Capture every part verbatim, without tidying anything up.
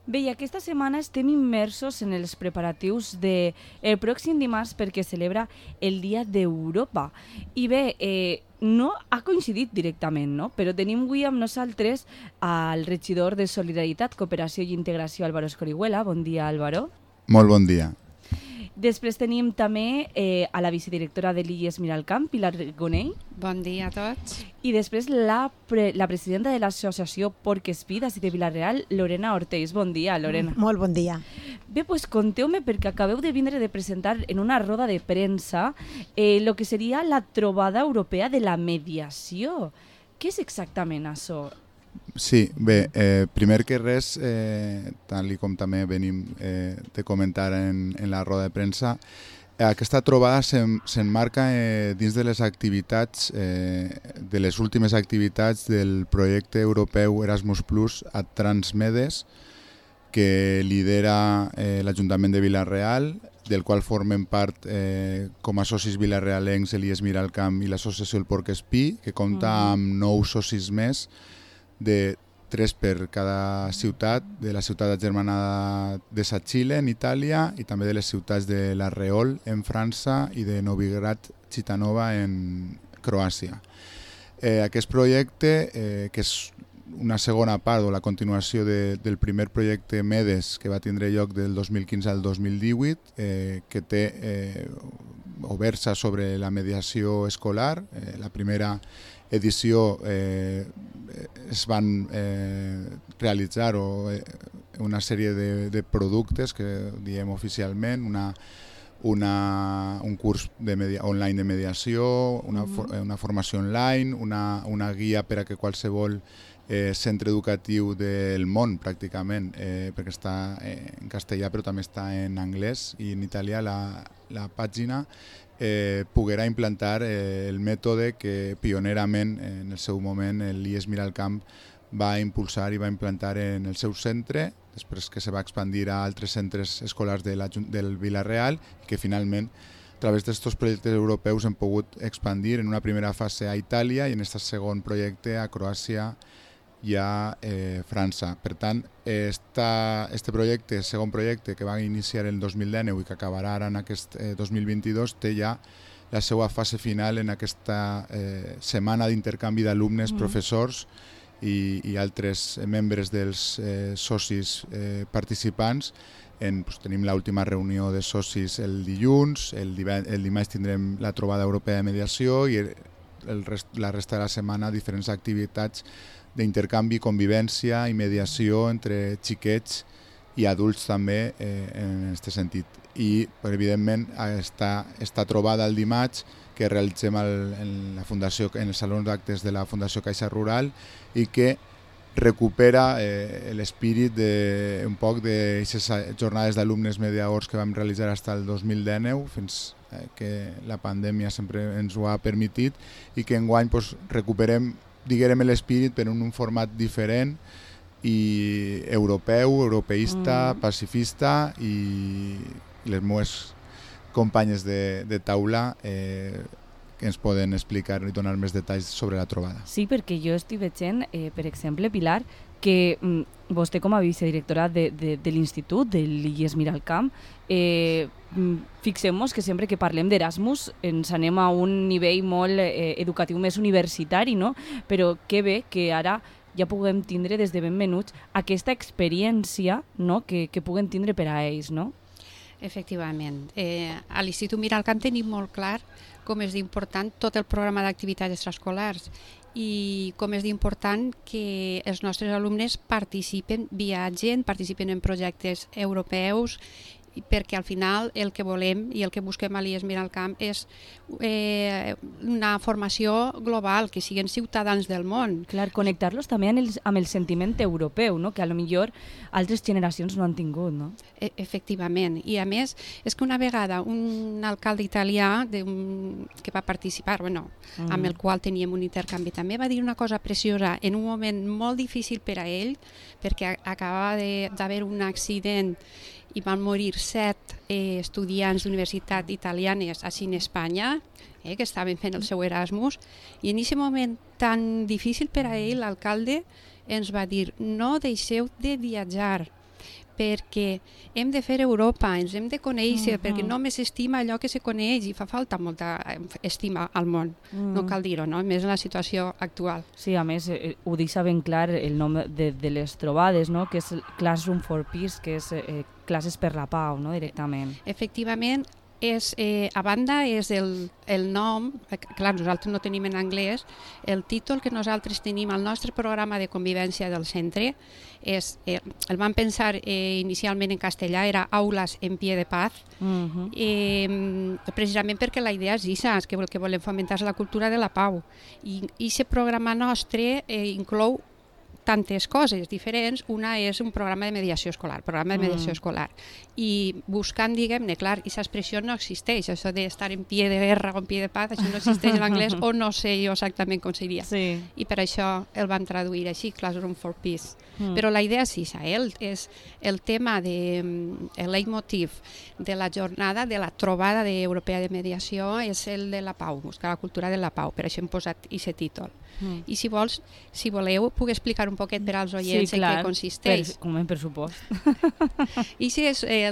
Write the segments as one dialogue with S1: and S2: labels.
S1: Bé, i aquesta setmana estem immersos en els preparatius del de pròxim dimarts perquè celebra el Dia d'Europa. I bé, eh, no ha coincidit directament, no? Però tenim avui amb nosaltres al regidor de Solidaritat, Cooperació i Integració, Álvaro Escorihuela. Bon dia, Álvaro.
S2: Molt bon dia.
S1: Després tenim també eh, a la vicedirectora de l'I E S Miralcamp, Pilar Gonell.
S3: Bon dia a tots.
S1: I després la, pre la presidenta de l'associació Porc Espí d'ací de Vila-real, Lorena Orteix. Bon dia, Lorena.
S4: Molt bon dia.
S1: Bé, doncs conteu-me, perquè acabeu de vindre de presentar en una roda de premsa eh, lo que seria la trobada europea de la mediació. Què és exactament això?
S2: Sí, bé, eh, primer que res, eh, tal com també venim eh, de comentar en, en la roda de premsa, aquesta trobada s'emmarca eh, dins de les activitats, eh, de les últimes activitats del projecte europeu Erasmus Plus a Transmedes, que lidera eh, l'Ajuntament de Vila-real, del qual formen part eh, com a socis vilarealencs l'I E S Miralcamp i l'associació El Porc Espí, que compta amb nou socis més, de tres per cada ciutat, de la ciutat agermanada de Sacile, en Itàlia, i també de les ciutats de La Reol, en França, i de Novigrad Chitanova, en Croàcia. Eh, aquest projecte, eh, que és una segona part o la continuació de, del primer projecte MEDES, que va tindre lloc del dos mil quinze al dos mil divuit, eh, que té eh, o versa sobre la mediació escolar. Eh, la primera edició eh, es van eh, realitzar o, eh, una sèrie de, de productes que diem oficialment, una, una, un curs de media, online de mediació, una, for, una formació online, una, una guia per a que qualsevol eh, centre educatiu del món pràcticament, eh, perquè està en castellà però també està en anglès i en italià la, la pàgina, Eh, poguera implantar eh, el mètode que pionerament en el seu moment l'I E S Miralcamp va impulsar i va implantar en el seu centre, després que se va expandir a altres centres escolars de la, del Vila-real i que finalment a través d'aquests projectes europeus hem pogut expandir en una primera fase a Itàlia i en aquest segon projecte a Croàcia i a eh, França. Per tant, esta, este projecte, segon projecte que va iniciar el dos mil dinou i que acabarà ara en aquest eh, dos mil vint-i-dos, té ja la seva fase final en aquesta eh, setmana d'intercanvi d'alumnes, mm. professors i, i altres membres dels eh, socis eh, participants. En, pues, tenim l'última reunió de socis el dilluns, el, el dimarts tindrem la trobada europea de mediació i el, el rest, la resta de la setmana diferents activitats d'intercanvi, convivència i mediació entre xiquets i adults també eh, en aquest sentit. I evidentment està, està trobada el dimarts que realitzem el, en, la fundació, en el saló d'actes de la Fundació Caixa Rural i que recupera eh, l'espírit de, un poc d'aquestes jornades d'alumnes mediadors que vam realitzar fins al dos mil dinou, fins eh, que la pandèmia sempre ens ho ha permitit i que enguany pues, recuperem diguem l'espírit però en un format diferent i europeu, europeista, mm. pacifista i les meves companyes de, de taula eh, que ens poden explicar i donar més detalls sobre la trobada.
S1: Sí, perquè jo estic veient, eh, per exemple, Pilar, que mm, vostè com a vicedirectora de, de, de l'Institut, de l'I E S Miralcamp, eh, fixem-nos que sempre que parlem d'Erasmus ens anem a un nivell molt eh, educatiu més universitari, no? Però que bé que ara ja puguem tindre des de ben menuts aquesta experiència, no? que, que puguem tindre per a ells, no?
S3: Efectivament. Eh, a l'Institut Miralcamp tenim molt clar com és d'important tot el programa d'activitats extraescolars i com és d'important que els nostres alumnes participen, viatgen, participen en projectes europeus, perquè al final el que volem i el que busquem a l'I E S Miralcamp és eh, una formació global, que siguin ciutadans del món.
S1: Clar, connectar-los també amb el, amb el sentiment europeu, no? Que a lo millor altres generacions no han tingut, no?
S3: E efectivament, i a més és que una vegada un alcalde italià de un, que va participar, bueno, mm. amb el qual teníem un intercanvi, també va dir una cosa preciosa en un moment molt difícil per a ell, perquè acabava d'haver un accident i van morir set eh, estudiants d'universitat italianes així en Espanya, eh, que estaven fent el seu Erasmus, i en aquest moment tan difícil per a ell, l'alcalde ens va dir no deixeu de viatjar, perquè hem de fer Europa, ens hem de conèixer, mm-hmm. perquè només s'estima allò que se coneix i fa falta molta estima al món, mm. no cal dir-ho, no? Més en la situació actual.
S1: Sí, a més, eh, ho deixa ben clar el nom de, de les trobades, no? Que és Classroom for Peace, que és eh, classes per la pau, no? Directament.
S3: Efectivament, és, eh, a banda és el, el nom, clar, nosaltres no tenim en anglès, el títol que nosaltres tenim al nostre programa de convivència del centre, és, eh, el vam pensar eh, inicialment en castellà, era Aules en pie de paz, uh-huh. eh, precisament perquè la idea és això, és que, que volem fomentar la cultura de la pau. I aquest programa nostre eh, inclou tantes coses diferents. Una és un programa de mediació escolar, programa de mediació mm. escolar. I buscant, diguem-ne, clar, aquesta expressió no existeix, això d'estar en pie de guerra o en pie de paz, això no existeix en anglès o no sé jo exactament com seria.
S1: Sí.
S3: I per això el van traduir així, Classroom for Peace. Mm. Però la idea és això, eh? És el tema, de, el leitmotiv de la jornada, de la trobada de europea de mediació, és el de la pau, buscar la cultura de la pau, per això hem posat aquest títol. Mm. I si vols, si voleu, puc explicar un poquet per als oients
S1: sí, clar,
S3: en què consisteix.
S1: Per, com en pressupost.
S3: I si és, eh,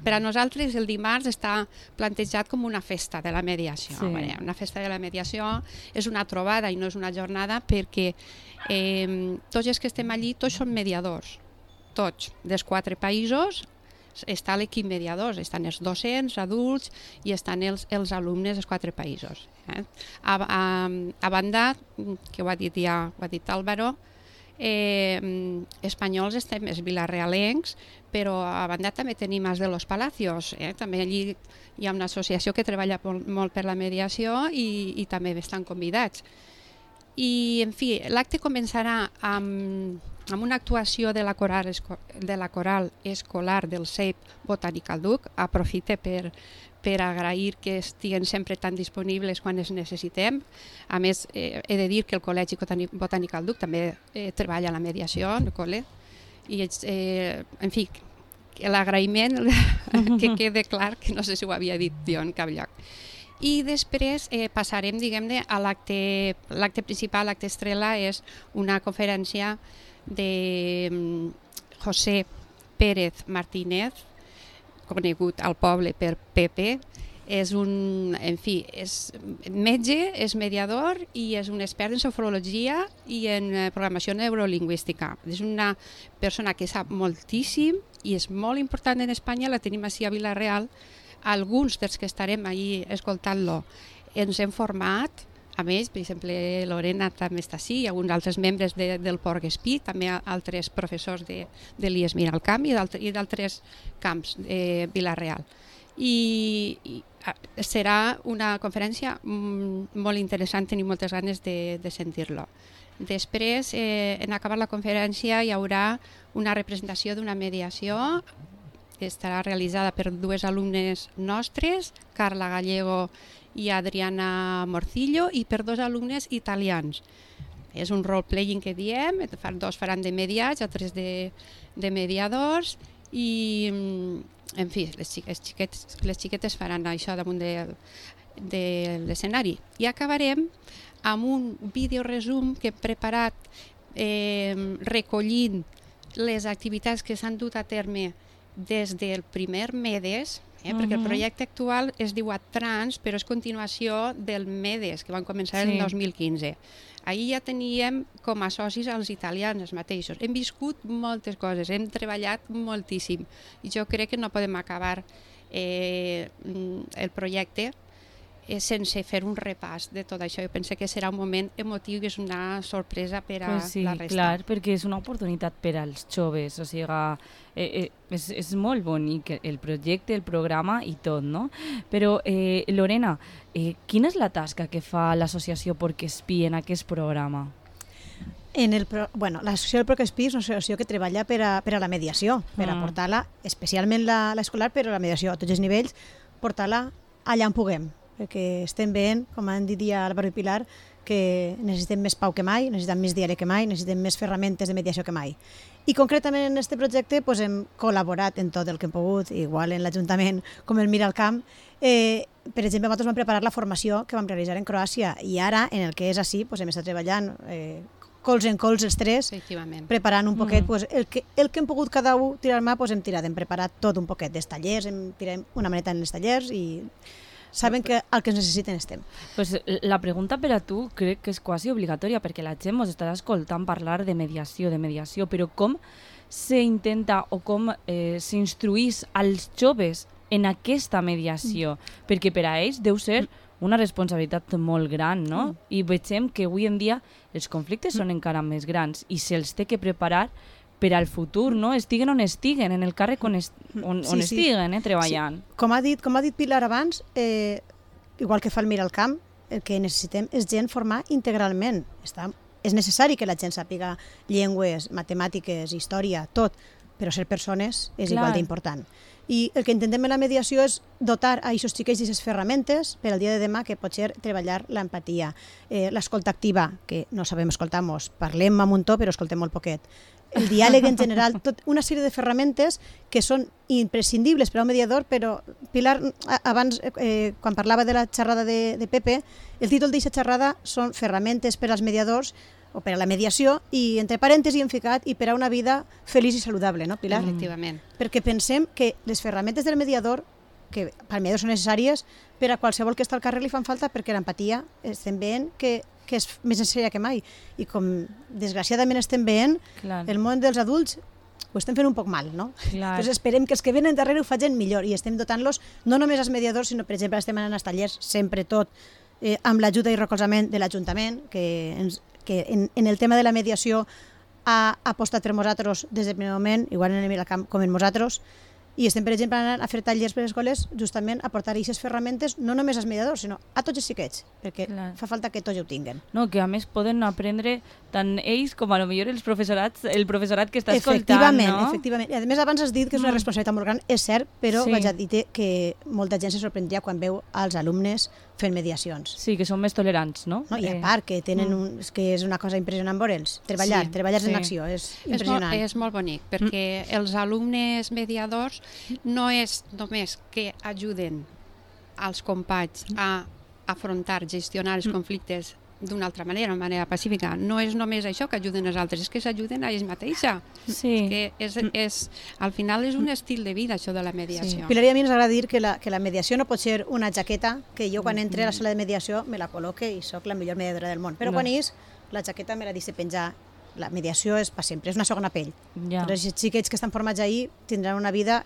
S3: per a nosaltres el dimarts està plantejat com una festa de la mediació. Sí. Una festa de la mediació és una trobada i no és una jornada perquè eh, tots els que estem allí, tots són mediadors, tots, dels quatre països. Està l'equip mediadors, estan els docents, adults i estan els, els alumnes dels quatre països. Eh? A, a, a banda, que ho ha dit ja, ho ha dit Álvaro, eh, espanyols estem els vilarealencs, però a banda també tenim els de los Palacios. Eh? També allí hi ha una associació que treballa molt, molt per la mediació i, i també estan convidats. I, en fi, l'acte començarà amb... amb una actuació de la coral, de la coral escolar del C E P Botanical Duc. Aprofite per, per agrair que estiguen sempre tan disponibles quan es necessitem. A més, eh, he de dir que el Col·legi Botanical Duc també eh, treballa a la mediació, el col·le, i eh, en fi, l'agraïment que quede clar, que no sé si ho havia dit jo en cap lloc. I després eh, passarem, diguem-ne, a l'acte l'acte principal, l'acte estrella, és una conferència de José Pérez Martínez, conegut al poble per Pepe. És un, en fi, és metge, és mediador i és un expert en sofrologia i en programació neurolingüística. És una persona que sap moltíssim i és molt important en Espanya, la tenim així a Vila-real. Alguns dels que estarem allí escoltant-lo ens hem format. A més, per exemple, Lorena també està així, i alguns altres membres de, del Porc-Espí, també altres professors de, de l'I E S Miralcamp i d'altres camps de Vila-real. I, I serà una conferència molt interessant, tenim moltes ganes de, de sentir-lo. Després, eh, en acabar la conferència, hi haurà una representació d'una mediació que estarà realitzada per dues alumnes nostres, Carla Gallego i Adriana Morcillo, i per dos alumnes italians. És un role-playing que diem, dos faran de mediats, altres de, de mediadors, i, en fi, les xiquetes, les xiquetes faran això damunt de, de l'escenari. I acabarem amb un videoresum que hem preparat eh, recollint les activitats que s'han dut a terme des del primer MEDES, Eh, perquè el projecte actual es diu Adtrans, però és continuació del MEDES, que van començar sí. el dos mil quinze. Ahir ja teníem com a socis els italians els mateixos. Hem viscut moltes coses, hem treballat moltíssim i jo crec que no podem acabar eh, el projecte eh, sense fer un repàs de tot això. Jo penso que serà un moment emotiu i és una sorpresa per a
S1: pues sí,
S3: la resta.
S1: Clar, perquè és una oportunitat per als joves, o sigui, eh, eh, és, és molt bonic el projecte, el programa i tot, no? Però, eh, Lorena, eh, quina és la tasca que fa l'associació Porc-Espí en aquest programa?
S4: En el pro... bueno, l'associació del Porc-Espí és una associació que treballa per a, per a la mediació, per a portar-la, especialment l'escolar, però la mediació a tots els nivells, portar-la allà on puguem, perquè estem veient, com han dit ja Álvaro i Pilar, que necessitem més pau que mai, necessitem més diàleg que mai, necessitem més ferramentes de mediació que mai. I concretament en aquest projecte pues, hem col·laborat en tot el que hem pogut, igual en l'Ajuntament com el Miralcamp. Eh, per exemple, nosaltres vam preparar la formació que vam realitzar en Croàcia i ara, en el que és així, pues, hem estat treballant eh, cols en cols els tres, preparant un poquet, mm. pues, el, que, el que hem pogut cada un tirar mà, pues, hem tirat, hem preparat tot un poquet dels tallers, hem tirat una maneta en els tallers i saben que el que ens necessiten estem.
S1: Pues la pregunta per a tu crec que és quasi obligatòria, perquè la gent ens estarà escoltant parlar de mediació, de mediació, però com s'intenta o com eh, s'instruís als joves en aquesta mediació? Mm. Perquè per a ells deu ser una responsabilitat molt gran, no? Mm. I veiem que avui en dia els conflictes són encara més grans i se'ls té que preparar per al futur, no? Estiguen on estiguen, en el càrrec on, est on, on sí, estiguen, eh, treballant.
S4: Sí. Com ha dit, com ha dit Pilar abans, eh, igual que fa el Miralcamp, el que necessitem és gent formar integralment. Està, és necessari que la gent sàpiga llengües, matemàtiques, història, tot, però ser persones és Clar. igual d'important. I el que intentem en la mediació és dotar a aquests xiquets d'aquestes ferramentes per al dia de demà, que pot ser treballar l'empatia, eh, l'escolta activa, que no sabem escoltar-nos, parlem a muntó però escoltem molt poquet, el diàleg en general, tot una sèrie de ferramentes que són imprescindibles per a un mediador, però Pilar, abans, eh, quan parlava de la xerrada de, de Pepe, el títol d'aquesta xerrada són ferramentes per als mediadors o per a la mediació, i entre parèntesis hem ficat i per a una vida feliç i saludable, no, Pilar?
S3: Efectivament.
S4: Perquè pensem que les ferramentes del mediador, que per al mediador són necessàries, per a qualsevol que està al carrer li fan falta, perquè l'empatia estem veient que, que és més necessària que mai. I com desgraciadament estem veient, Clar. el món dels adults ho estem fent un poc mal, no? Clar. Llavors esperem que els que venen darrere ho facin millor i estem dotant-los no només als mediadors, sinó, per exemple, estem anant als tallers sempre tot eh, amb l'ajuda i recolzament de l'Ajuntament, que ens que en, en el tema de la mediació ha apostat per nosaltres des del primer moment, igual en el Miralcamp com en nosaltres, i estem, per exemple, anant a fer tallers per les escoles justament a portar aquestes ferramentes no només als mediadors, sinó a tots els xiquets, perquè Clar. fa falta que tots ho tinguen.
S1: No, que a més poden aprendre tant ells com a lo millor els professorats, el professorat que està escoltant,
S4: efectivament,
S1: no?
S4: Efectivament, i a més abans has dit que és una responsabilitat molt gran, és cert, però
S1: Sí.
S4: vaig a dir que molta gent se sorprendria quan veu als alumnes fent mediacions.
S1: Sí, que són més tolerants, no?
S4: No? I a
S1: Eh,
S4: part, que tenen un, és que és una cosa impressionant veure'ls. Treballar,
S3: Sí,
S4: treballar
S1: sí.
S4: en acció, és
S3: És molt,
S4: impressionant.
S3: és molt bonic, perquè mm. els alumnes mediadors no és només que ajuden als companys a afrontar, gestionar els conflictes d'una altra manera, de manera pacífica. No és només això que ajuden els altres, és que s'ajuden a ells mateixos.
S1: Sí.
S3: Que és, és, al final és un estil de vida, això de la mediació.
S4: Pilar, i a mi ens agrada dir que la, que la mediació no pot ser una jaqueta que jo quan entre a la sala de mediació me la col·loque i sóc la millor mediadora del món. Però
S1: No.
S4: quan és, la jaqueta me la deixe penjar. La mediació és per sempre, és una segona pell.
S1: Ja.
S4: Però els xiquets que estan formats ahir tindran una vida,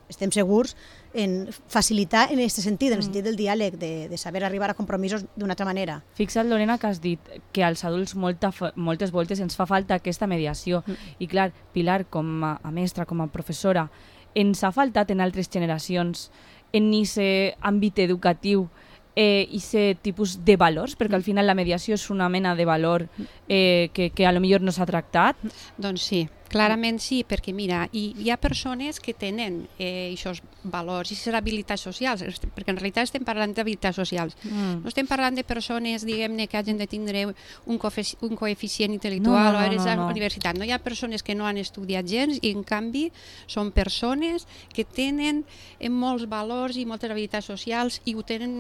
S4: estem segurs, en facilitar en aquest sentit, en el sentit del diàleg, de, de saber arribar a compromisos d'una altra manera.
S1: Fixa't, Lorena, que has dit que als adults molta, fa- moltes voltes ens fa falta aquesta mediació. Mm. I clar, Pilar, com a, a mestra, com a professora, ens ha faltat en altres generacions en aquest àmbit educatiu eh, aquest tipus de valors, perquè al final la mediació és una mena de valor eh, que, que a lo millor no s'ha tractat.
S3: Doncs sí, clarament sí, perquè mira, hi, hi ha persones que tenen eh, aquests valors, aquestes habilitats socials, perquè en realitat estem parlant d'habilitats socials.
S1: Mm.
S3: No estem parlant de persones, diguem-ne, que hagin de tindre un, coefici un coeficient intel·lectual
S1: No, no,
S3: o haver
S1: no,
S3: a la
S1: no.
S3: universitat. No hi ha persones que no han estudiat gens i, en canvi, són persones que tenen eh, molts valors i moltes habilitats socials i ho tenen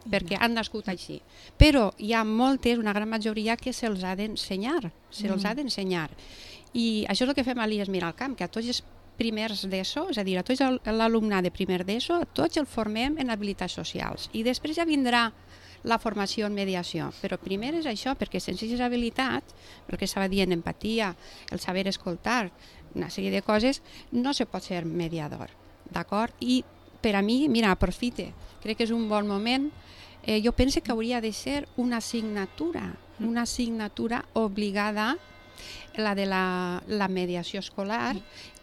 S3: perquè han nascut així. Però hi ha moltes, una gran majoria, que se'ls ha d'ensenyar, se'ls ha d'ensenyar. I això és el que fem a l'I E S Miralcamp, que a tots els primers d'ESO, és a dir, a tots l'alumnat de primer d'ESO, tots el formem en habilitats socials. I després ja vindrà la formació en mediació. Però primer és això, perquè sense aquestes habilitats, el que estava dient, empatia, el saber escoltar, una sèrie de coses, no se pot ser mediador. D'acord? I per a mi, mira, aprofite, crec que és un bon moment. Eh, jo penso que hauria de ser una assignatura, una assignatura obligada, la de la, la mediació escolar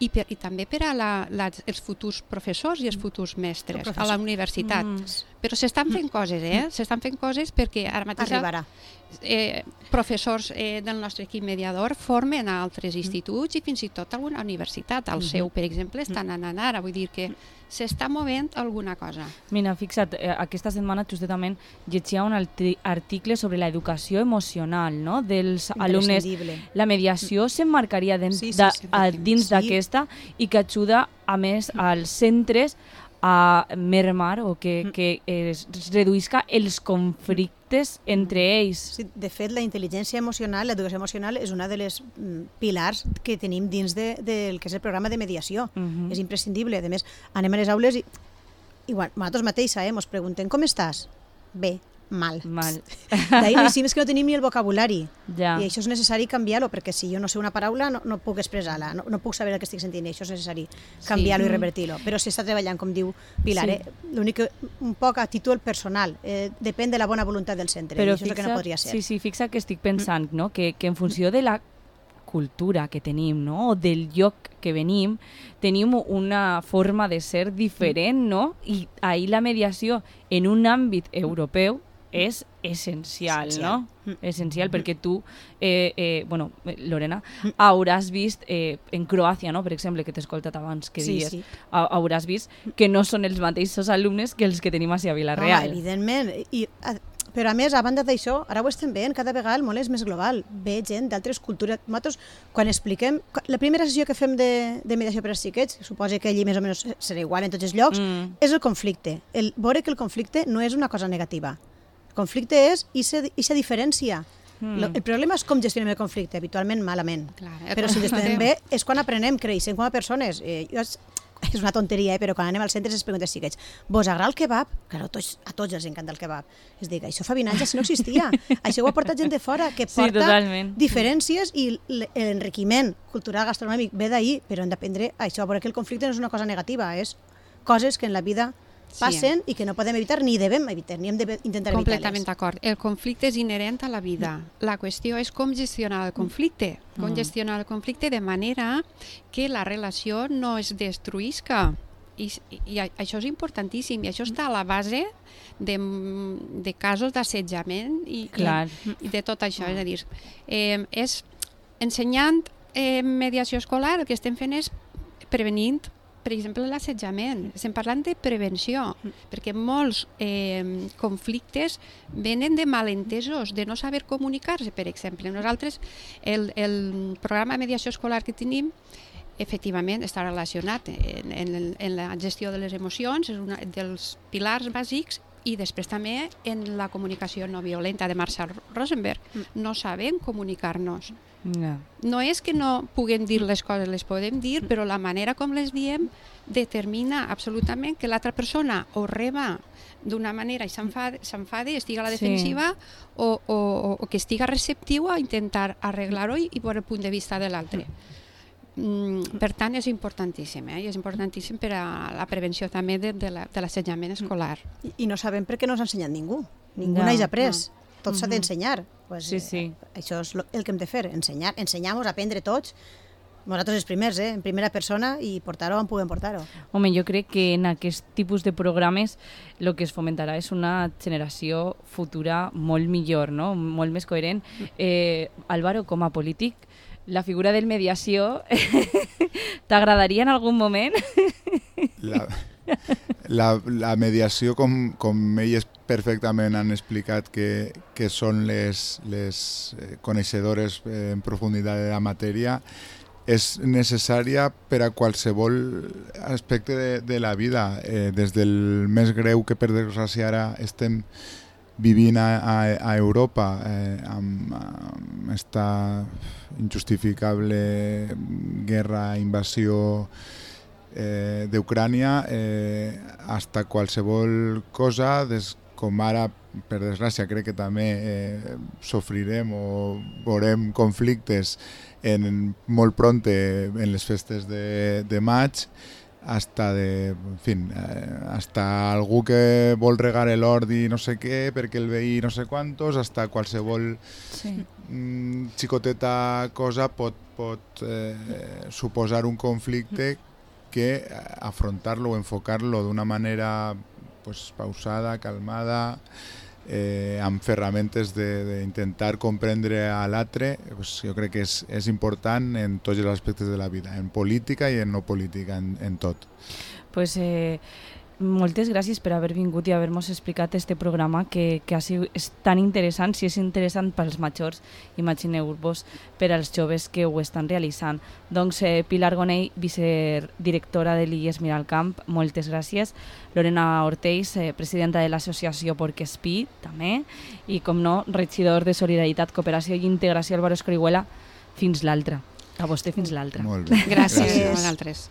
S3: i, per, i també per a la, la, els futurs professors i els futurs mestres
S4: Professor.
S3: a la universitat.
S1: Mm.
S3: Però s'estan fent coses, eh? S'estan fent coses perquè ara mateix
S4: Arribarà.
S3: eh, professors eh, del nostre equip mediador formen a altres instituts i fins i tot a alguna universitat. Al seu, per exemple, estan anant ara. Vull dir que s'està movent alguna cosa.
S1: Mira, fixa't, eh, aquesta setmana justament llegia un arti- article sobre l'educació emocional, no?, dels alumnes.
S4: Imprescindible.
S1: La mediació s'emmarcaria dins
S4: Sí, sí,
S1: de-
S4: sí,
S1: a- dins
S4: sí.
S1: d'aquesta i que ajuda, a més, als centres a mermar o que, que es reduïsca els conflictes entre ells.
S4: Sí, de fet, la intel·ligència emocional, l'educació emocional, és una de les pilars que tenim dins de, del que és el programa de mediació. Uh-huh. És imprescindible. A més, anem a les aules i igual, nosaltres mateixa, eh, ens preguntem com estàs? Bé, mal.
S1: Mal.
S4: D'ahir no és que no tenim ni el vocabulari.
S1: Ja.
S4: I això és necessari canviar-ho, perquè si jo no sé una paraula no, no puc expressar-la, no, no puc saber el que estic sentint, i això és necessari canviar-ho sí. i revertir-lo. Però s'està treballant, com diu Pilar, sí. eh? L'únic que un poc a títol personal, eh, depèn de la bona voluntat del centre,
S1: però
S4: i això fixa, és el que no podria ser.
S1: Sí, sí, fixa que estic pensant, no? que, que en funció de la cultura que tenim, no? O del lloc que venim, tenim una forma de ser diferent, no? I ahir la mediació en un àmbit europeu és essencial,
S4: essencial.
S1: no? Essencial, perquè tu, eh, eh, bueno, Lorena, hauràs vist, eh, en Croàcia, no? Per exemple, que t'he escoltat abans que
S4: sí,
S1: dies,
S4: sí.
S1: hauràs vist que no són els mateixos alumnes que els que tenim a Vilareal.
S4: No, evidentment. I, a, però a més, a banda d'això, ara ho estem veient, cada vegada el món és més global. Ve gent d'altres cultures. Nosaltres, quan expliquem... La primera sessió que fem de, de mediació per als xiquets, suposa que allí més o menys serà igual en tots els llocs, mm. és el conflicte. El veure que el conflicte no és una cosa negativa. El conflicte és aquesta diferència. Mm. El problema és com gestionem el conflicte, habitualment malament. Clar, però si el gestionem bé és quan aprenem, creixem com a persones. Eh, jo, és una tonteria, eh, però quan anem al centre es pregunten si xiquets, vos agrada el kebab? Claro, tots, a tots els encanta el kebab. Es dic, això fa vint anys si no existia. Això ho ha portat gent de fora, que porta sí, diferències i l'enriquiment cultural gastronòmic ve d'ahir, però hem d'aprendre això, perquè el conflicte no és una cosa negativa, és coses que en la vida passen sí. i que no podem evitar ni devem evitar, ni hem d'intentar evitar-les.
S3: Completament d'acord. El conflicte és inherent a la vida. La qüestió és com gestionar el conflicte. Com mm. gestionar el conflicte de manera que la relació no es destruïsca. I, i això és importantíssim. I això està a la base de, de casos d'assetjament i, i, i de tot això. És a dir, eh, és ensenyant eh, mediació escolar, el que estem fent és prevenint per exemple, l'assetjament. Estem parlant de prevenció, perquè molts eh, conflictes venen de malentesos, de no saber comunicar-se, per exemple. Nosaltres, el, el programa de mediació escolar que tenim, efectivament, està relacionat en, en, en la gestió de les emocions, és un dels pilars bàsics, i després també en la comunicació no violenta de Marshall Rosenberg. No sabem comunicar-nos. No. no és que no puguem dir les coses, les podem dir, però la manera com les diem determina absolutament que l'altra persona o reba d'una manera i s'enfada i estigui a la defensiva sí. o, o, o que estigui receptiu a intentar arreglar-ho i, i veure el punt de vista de l'altre. Mm, per tant, és importantíssim, eh? I és importantíssim per a la prevenció també de, de l'assetjament escolar.
S4: I, I no sabem per què no s'ha ensenyat ningú. Ningú no, n'ha après. No. Tot s'ha d'ensenyar. Pues,
S1: sí, sí.
S4: Eh, això és el que hem de fer, ensenyar, ensenyar-nos, aprendre tots, nosaltres els primers, eh, en primera persona, i portar-ho on puguem portar-ho.
S1: Home, jo crec que en aquest tipus de programes el que es fomentarà és una generació futura molt millor, no? Molt més coherent. Eh, Álvaro, com a polític, la figura del mediació t'agradaria en algun moment?
S2: La... La, la mediació, com, com ells perfectament han explicat que, que són les, les coneixedores en profunditat de la matèria, és necessària per a qualsevol aspecte de, de la vida, eh, des del més greu que per desgràcia ara estem vivint a, a, a Europa, eh, amb, amb esta injustificable guerra, invasió Eh, d'Ucrània, eh, hasta qualsevol cosa, des, com ara, per desgràcia, crec que també eh, sofrirem o veurem conflictes en, molt pronte en les festes de, de maig, hasta de, en fin, eh, hasta algú que vol regar l'hort i no sé què, perquè el veí no sé quantos, hasta qualsevol sí. mm, xicoteta cosa pot, pot eh, suposar un conflicte que afrontar-lo o enfocar-lo d'una manera pues, pausada, calmada, eh, amb ferramentes d'intentar comprendre a l'altre, pues, jo crec que és, és important en tots els aspectes de la vida, en política i en no política, en, en tot.
S1: Pues, eh, moltes gràcies per haver vingut i haver-nos explicat este programa que, que ha sigut, és tan interessant, si és interessant pels majors, imagineu-vos per als joves que ho estan realitzant. Doncs eh, Pilar Gonell, vicedirectora de l'I E S Miralcamp, moltes gràcies. Lorena Ortells, eh, presidenta de l'associació Porquespí, també, i com no, regidor de Solidaritat, Cooperació i Integració Álvaro Escorihuela, fins l'altra. A vostè fins l'altra.
S2: Molt bé.
S3: Gràcies,
S2: Gràcies.
S3: a vosaltres.